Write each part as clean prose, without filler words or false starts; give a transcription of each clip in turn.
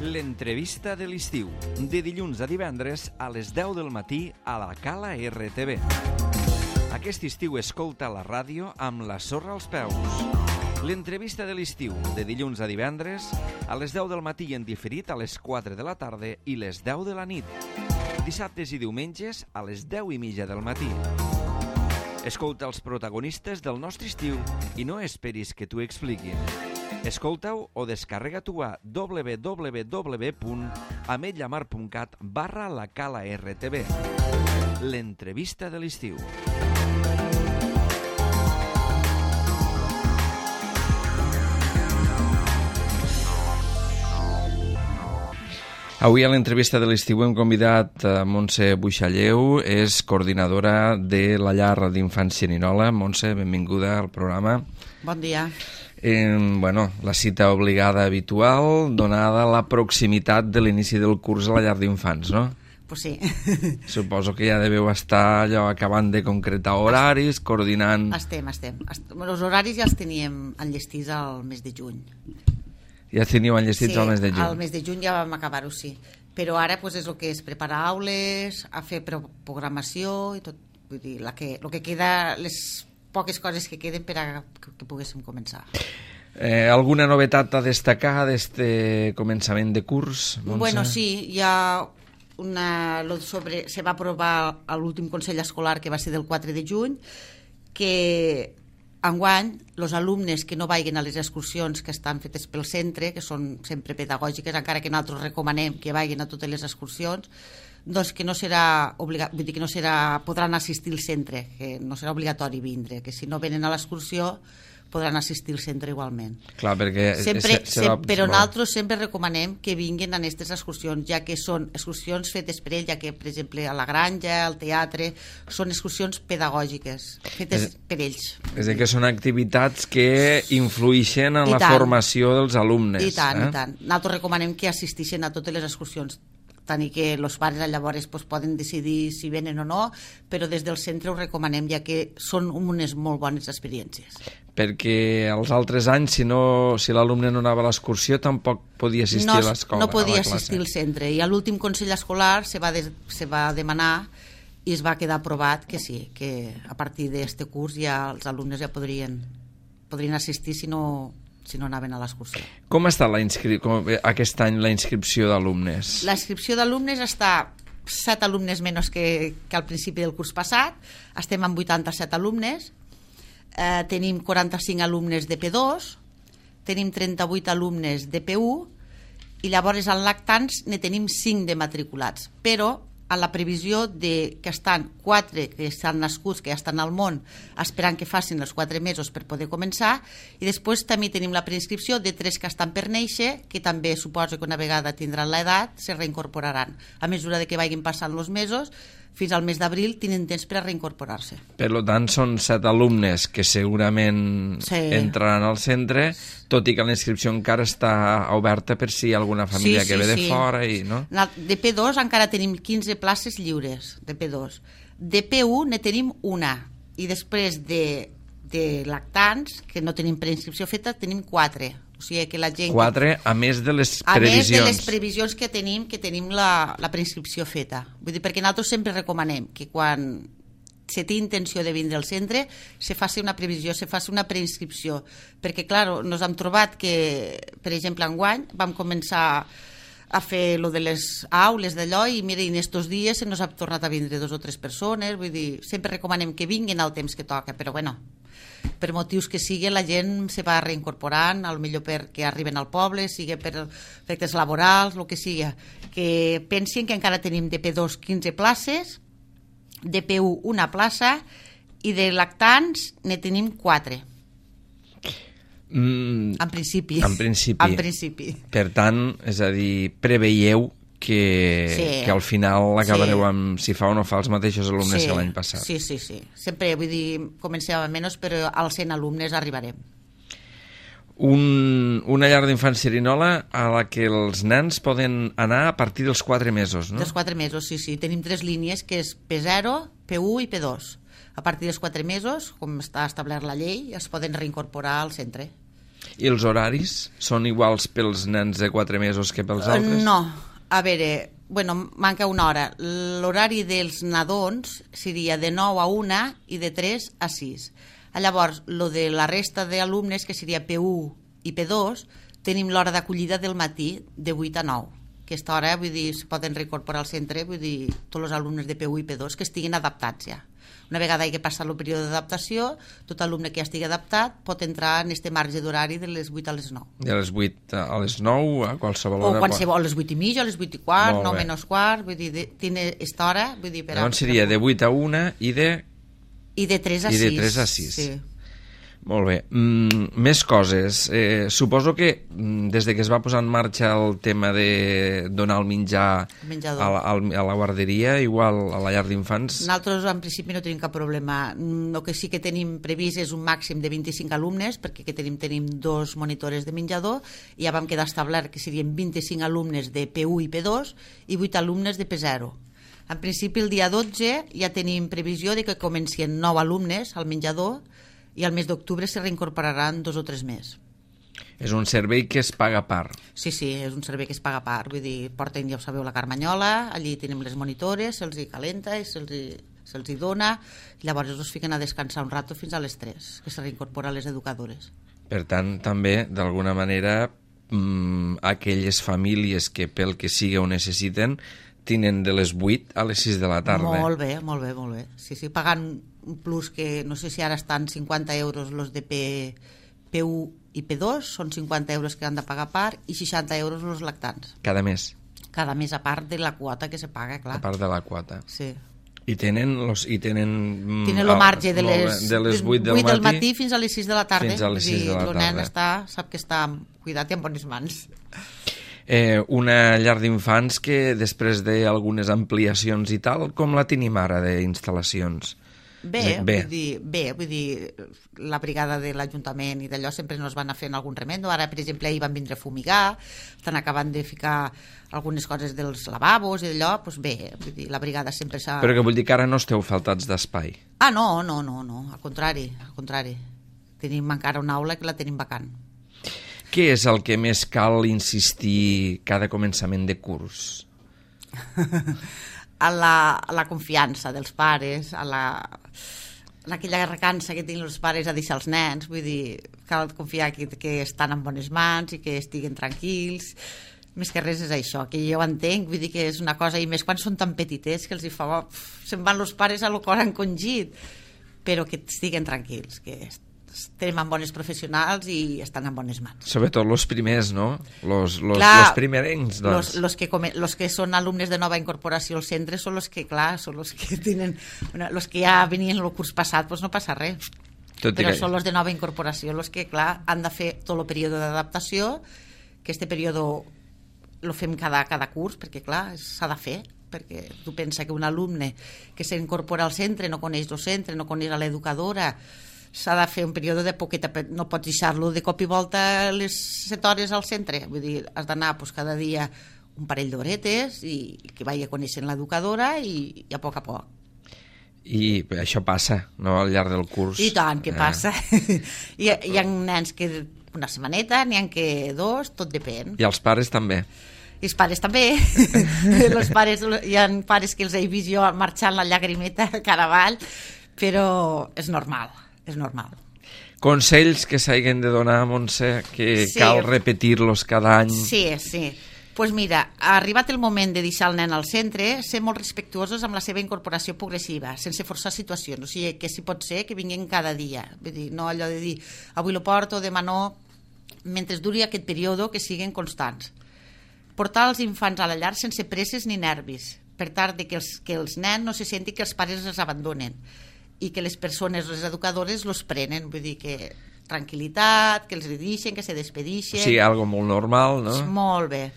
L'entrevista de l'estiu, de dilluns a divendres a les 10 del matí a la Cala RTV. Aquest estiu escolta la ràdio amb la sorra als peus. L'entrevista de l'estiu, de dilluns a divendres a les 10 del matí en diferit a les 4 de la tarda i les 10 de la nit. Dissabtes i diumenges a les 10:30 del matí. Escolta els protagonistes del nostre estiu i no esperis que t'ho expliquin. Escolta-ho o descarrega-t'ho a www.ametlllamar.cat/la Cala RTV. L'entrevista de l'estiu. Avui a l'entrevista de l'estiu hem convidat a Montse Buixalleu, és coordinadora de la llar d'infants Xerinola. Montse, benvinguda al programa. Bon dia. La cita obligada habitual, donada la proximitat de l'inici del curs a la llar d'infants, no? Pues sí. Suposo que ja deveu estar allò acabant de concretar horaris, coordinant... Estem. Els horaris ja els teníem enllestits al mes de juny. Ja els teníeu enllestits al mes de juny? Sí, al mes de juny ja vam acabar-ho, sí. Però ara pues, és el que és preparar aules, a fer programació i tot. Vull dir, el que queda, les poques coses que queden per a que poguéssim començar. Alguna novetat a destacar d'este començament de curs, Montse? Bueno, sí, hi ha se va aprovar a l'últim Consell Escolar, que va ser del 4 de juny, que enguany els alumnes que no vagin a les excursions que estan fetes pel centre, que són sempre pedagògiques, encara que nosaltres recomanem que vagin a totes les excursions, doncs que no serà podran assistir al centre, que no serà obligatori vindre, que si no venen a l'excursió podran assistir al centre igualment. Clar, perquè però nosaltres sempre recomanem que vinguin a aquestes excursions, ja que són excursions fetes per ells, ja que, per exemple, a la granja, al teatre, són excursions pedagògiques, fetes per ells. És a dir, que són activitats que influïxen en la formació dels alumnes. I tant. Nosaltres recomanem que assisteixin a totes les excursions, tant i que els pares llavors poden decidir si venen o no, però des del centre ho recomanem, ja que són unes molt bones experiències. Perquè els altres anys, si l'alumne no anava a l'excursió, tampoc podia assistir a l'escola. No podia assistir al centre. I a l'últim Consell Escolar se va demanar i es va quedar aprovat que sí, que a partir d'aquest curs ja els alumnes ja podrien assistir si no anaven a l'excursió. Com està aquest any la inscripció d'alumnes? La inscripció d'alumnes està 7 alumnes menys que al principi del curs passat. Estem amb 87 alumnes. Tenim 45 alumnes de P2, tenim 38 alumnes de P1 i llavors en lactants ne tenim 5 de matriculats, però a la previsió que estan 4 que estan nascuts, que ja estan al món, esperant que facin els 4 mesos per poder començar, i després també tenim la preinscripció de 3 que estan per néixer, que també suposo que una vegada tindran l'edat se reincorporaran. A mesura que vagin passant els mesos, fins al mes d'abril tenen temps per a reincorporar-se. Per tant, són 7 alumnes que segurament entraran al centre, tot i que la inscripció encara està oberta per si hi ha alguna família que ve de fora. No? De P2 encara tenim 15 places lliures, de P2. De P1 ne tenim una, i després de lactants, que no tenim preinscripció feta, tenim 4. O sigui que la gent... 4, a més de les previsions. A més de les previsions que tenim la preinscripció feta. Vull dir, perquè nosaltres sempre recomanem que quan se té intenció de vindre al centre se faci una previsió, se faci una preinscripció. Perquè, clar, nos hem trobat que, per exemple, enguany vam començar a fer lo de les aules d'allò i mira, en estos dies se nos ha tornat a vindre 2 o 3 persones. Vull dir, sempre recomanem que vinguin al temps que toca, però bueno, per motius que sigui, la gent se va reincorporant, potser perquè arriben al poble, sigui per efectes laborals, el que sigui. Que pensin que encara tenim de P2 15 places, de P1 una plaça i de lactants ne tenim 4. En principi. Per tant, és a dir, preveieu que al final acabareu amb si fa o no fa els mateixos alumnes que l'any passat. Sí. Sempre, vull dir, comencem a menys, però als 100 alumnes arribarem. Una llar d'infants Xerinola a la que els nens poden anar a partir dels 4 mesos, no? Dels 4 mesos, sí. Tenim 3 línies, que és P0, P1 i P2. A partir dels 4 mesos, com està establert la llei, es poden reincorporar al centre. I els horaris són iguals pels nens de 4 mesos que pels altres? No, a veure, manca una hora. L'horari dels nadons seria de 9 a 1 i de 3 a 6. Llavors, lo de la resta d'alumnes, que seria P1 i P2, tenim l'hora d'acollida del matí de 8 a 9. Aquesta hora, vull dir, es poden reincorporar al centre, vull dir, tots els alumnes de P1 i P2 que estiguin adaptats ja. Una vegada que passa el període d'adaptació, tot alumne que ja estigui adaptat pot entrar en este marge d'horari de les 8 a les 9. De les 8 a les 9, a qualsevol hora? O qualsevol, a les 8 i mitja, a les 8 i quart, 9 menys quart, vull dir, tiene esta hora, vull dir... Llavors seria de 8 a 1 i de... I de 3 a 6. I de 3 a 6. Sí. Molt bé. Més coses. Suposo que des de que es va posar en marxa el tema de donar el menjar a la guarderia, igual a la llar d'infants... Nosaltres en principi no tenim cap problema. El que sí que tenim previst és un màxim de 25 alumnes, perquè que tenim 2 monitores de menjador, i ja vam quedar establert que serien 25 alumnes de P1 i P2 i 8 alumnes de P0. En principi el dia 12 ja tenim previsió de que comencin 9 alumnes al menjador, i al mes d'octubre se reincorporaran 2 o 3 més. És un servei que es paga a part. Sí, és un servei que es paga a part. Vull dir, porten, ja ho sabeu, la carmanyola, allí tenim les monitores, se'ls hi calenta i se'ls hi dona, i llavors els fiquen a descansar un rato fins a les 3, que se reincorporen les educadores. Per tant, també, d'alguna manera, aquelles famílies que pel que sigui ho necessiten, tenen de les 8 a les 6 de la tarda. Molt bé. Sí, pagant un plus que no sé si ara estan 50 euros los de P1 i P2, són 50 euros que han de pagar a part i 60 euros los lactants. Cada mes? Cada mes, a part de la quota que se paga, clar. A part de la quota. Sí. I tenen el marge de les 8 del matí fins a les 6 de la tarda. Fins a les 6 de la tarda. El nen sap que està cuidat i en bones mans. Una llar d'infants que després d'algunes ampliacions i tal, com la tenim ara d'instal·lacions? Bé, vull dir, la brigada de l'Ajuntament i d'allò sempre ens van a fer algun remendo. Ara, per exemple, hi van vindre a fumigar, estan acabant de ficar algunes coses dels lavabos i d'allò, doncs bé, vull dir, la brigada sempre s'ha... Però que vull dir que ara no esteu faltats d'espai? Ah, no, al contrari. Tenim encara una aula que la tenim vacant. Què és el que més cal insistir cada començament de curs? A la confiança dels pares, en aquella recança que tenen els pares a deixar els nens, vull dir, cal confiar que estan en bones mans i que estiguen tranquils. Més que res és això, que jo entenc, vull dir que és una cosa, i més quan són tan petitets que els hi fa... se'n van els pares a lo cor encongit, però que estiguen tranquils, que estem en bones professionals i estan en bones mans. Sobretot els primers, no? Los primerencs, doncs. Los que són alumnes de nova incorporació al centre són los que, clar, són los que tenen... Los que ja venien el curs passat, doncs no passa res. Però són los de nova incorporació, los que, clar, han de fer tot el període d'adaptació, que este període lo fem cada curs, perquè, clar, s'ha de fer, perquè tu pensa que un alumne que s'incorpora al centre no coneix el centre, no coneix l'educadora, s'ha de fer un període de poqueta, no pots deixar-lo de cop i volta les 7 hores al centre, vull dir, has d'anar cada dia un parell d'horetes i que vagi coneixent l'educadora i a poc. I això passa, no?, al llarg del curs. I tant, que passa. Hi ha nens que una setmaneta, n'hi ha que 2, tot depèn. I els pares també. I els pares també. Hi ha pares que els he vist jo marxant la llagrimeta cara avall, però és normal. Consells que s'hagin de donar, Montse, que cal repetir-los cada any. Sí. Pues mira, ha arribat el moment de deixar el nen al centre, ser molt respectuosos amb la seva incorporació progressiva, sense forçar situacions. O sigui, que si pot ser que vinguin cada dia. Vull dir, no allò de dir, avui lo porto, demà no, mentre duri aquest període, que siguin constants. Portar els infants a la llar sense presses ni nervis, per tal de que els nens no se sentin que els pares els abandonen i que les persones, les educadores, los prenen, vull dir que tranquil·litat, que els deixen, que se despedixen. Sí, algo molt normal, no? Molt bé.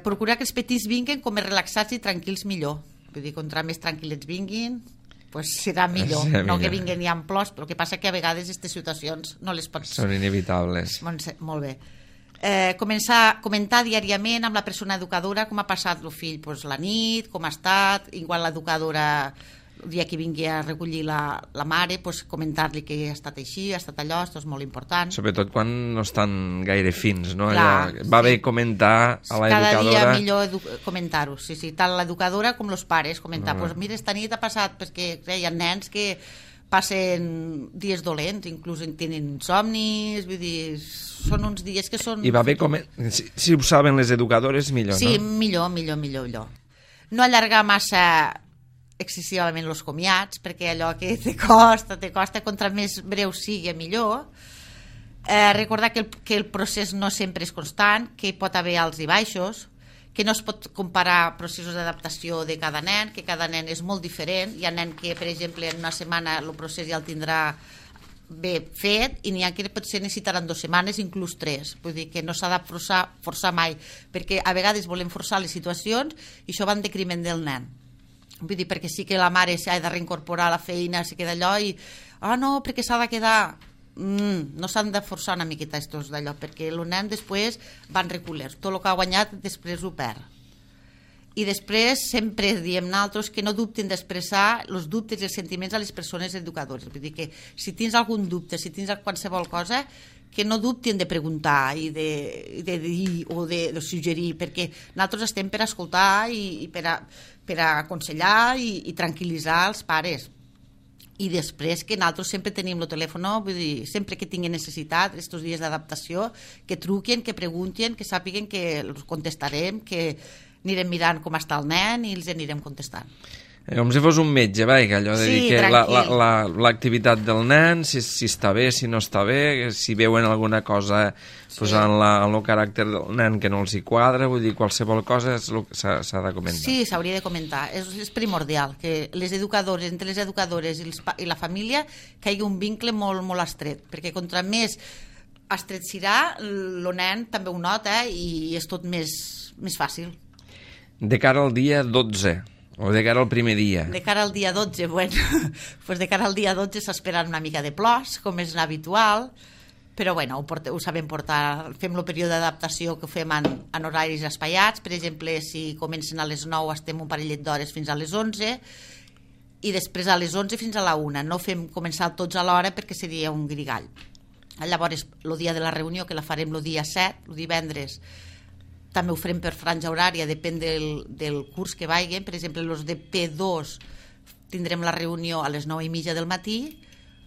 Procurar que els petits vinguin com més relaxats i tranquils millor. Vull dir, contra més tranquil·lets vinguin, pues serà millor. No que vinguin ja en plors, però el que passa que a vegades aquestes situacions no les pots... Són inevitables. Molt bé. Comentar diàriament amb la persona educadora com ha passat el fill la nit, com ha estat, igual l'educadora el dia que vingui a recollir la mare, pues, comentar-li que ha estat així, ha estat allò, això és molt important. Sobretot quan no estan gaire fins, no? Clar, Va bé comentar a l'educadora... Cada dia millor comentar-ho, sí, tant l'educadora com els pares, comentar, pues, mira, esta nit ha passat, perquè hi ha nens que passen dies dolents, inclús tenen insomnis, vull dir, són uns dies que són... I va bé si ho saben les educadores, millor, sí, no? Sí, millor. No allargar massa excessivament els comiats, perquè allò que te costa, contra més breu sigui, millor. Recordar que el procés no sempre és constant, que hi pot haver alts i baixos, que no es pot comparar processos d'adaptació de cada nen, que cada nen és molt diferent. Hi ha nen que, per exemple, en una setmana el procés ja el tindrà bé fet, i n'hi ha que potser necessitaran 2 setmanes, inclús 3. Vull dir que no s'ha de forçar mai, perquè a vegades volem forçar les situacions i això va en decriment del nen. Vull dir, perquè sí que la mare s'ha de reincorporar a la feina, se queda allò i no, perquè s'ha de quedar... no s'han de forçar una miqueta estos d'allò, perquè el nen després van reculer, tot el que ha guanyat després ho perd. I després sempre diem nosaltres que no dubtin d'expressar els dubtes i els sentiments a les persones educadores. Vull dir que si tens algun dubte, si tens qualsevol cosa, que no dubtin de preguntar i de dir o de suggerir, perquè nosaltres estem per escoltar i per aconsellar i tranquil·litzar els pares. I després que nosaltres sempre tenim el telèfon, vull dir, sempre que tinguin necessitat, aquests dies d'adaptació, que truquen, que preguntin, que sàpiguen que els contestarem, que anirem mirant com està el nen i els anirem contestant. Com si fos un metge, que allò de dir que l'activitat del nen, si està bé, si no està bé, si veuen alguna cosa posant el caràcter del nen que no els hi quadra, vull dir, qualsevol cosa s'ha de comentar. Sí, s'hauria de comentar. És primordial que les educadores, entre les educadores i la família, que hi hagi un vincle molt, molt estret, perquè contra més estret serà, el nen també ho nota i és tot més fàcil. De cara al dia 12... o de cara al primer dia? De cara al dia 12, bueno, pues de cara al dia 12 s'esperen una mica de plors, com és habitual, però bueno, ho sabem portar. Fem el període d'adaptació que ho fem en horaris espaiats. Per exemple, si comencen a les 9 estem un parellet d'hores fins a les 11 i després a les 11 fins a la 1. No fem començar tots a l'hora perquè seria un grigall. Llavors, el dia de la reunió, que la farem el dia 7, el divendres, també ho farem per franja horària, depèn del curs que vagin. Per exemple, els de P2 tindrem la reunió a les 9:30 del matí,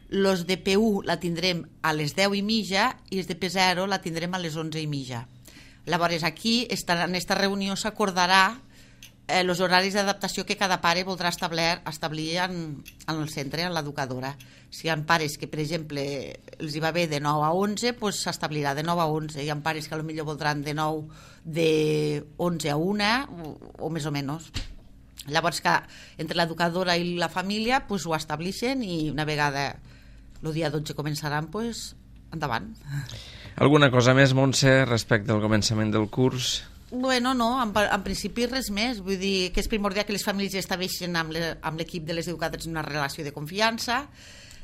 els de P1 la tindrem a les 10:30 i els de P0 la tindrem a les 11:30. Llavors, aquí, en aquesta reunió, s'acordarà els horaris d'adaptació que cada pare voldrà establir en el centre, en l'educadora. Si hi ha pares que, per exemple, els hi va bé de 9 a 11, doncs s'establirà de 9 a 11. Hi ha pares que potser voldran de 11 a 1 o més o menys. Llavors, que entre l'educadora i la família ho estableixen i una vegada el dia 12 començaran, endavant. Alguna cosa més, Montse, respecte al començament del curs? Bueno, no, en principi res més. Vull dir que és primordial que les famílies estableixin amb l'equip de les educadores una relació de confiança.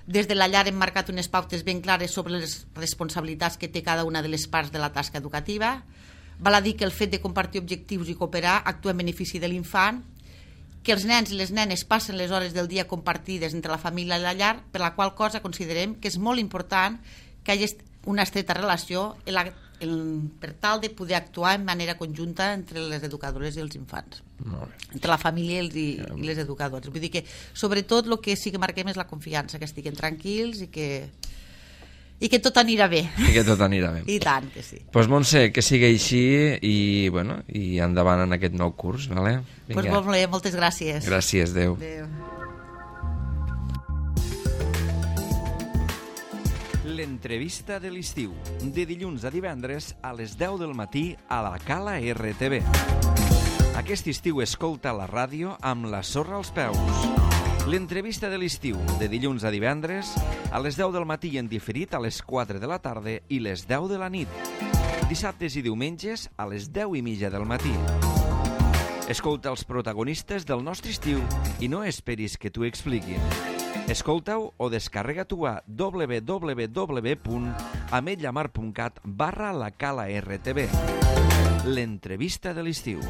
Des de la llar hem marcat unes pautes ben clares sobre les responsabilitats que té cada una de les parts de la tasca educativa. Val a dir que el fet de compartir objectius i cooperar actua en benefici de l'infant, que els nens i les nenes passen les hores del dia compartides entre la família i la llar, per la qual cosa considerem que és molt important que hi hagi una estreta relació per tal de poder actuar en manera conjunta entre les educadores i els infants, entre la família i les educadores. Vull dir que sobretot el que sí que marquem és la confiança, que estiguin tranquils i que tot anirà bé. I que tot anirà bé. I tant que sí. Doncs Montse, que sigui així i endavant en aquest nou curs, vale? Doncs molt bé, moltes gràcies. Gràcies, adéu. Adéu. L'entrevista de l'estiu, de dilluns a divendres a les 10 del matí a la Cala RTV. Aquest estiu escolta la ràdio amb la sorra als peus. L'entrevista de l'estiu, de dilluns a divendres a les 10 del matí en diferit a les 4 de la tarda i les 10 de la nit. Dissabtes i diumenges a les 10:30 del matí. Escolta els protagonistes del nostre estiu i no esperis que t'ho expliquin. Escolta-ho o descarrega-t'ho a www.ametlllamar.cat/la Cala RTV. L'entrevista de l'estiu.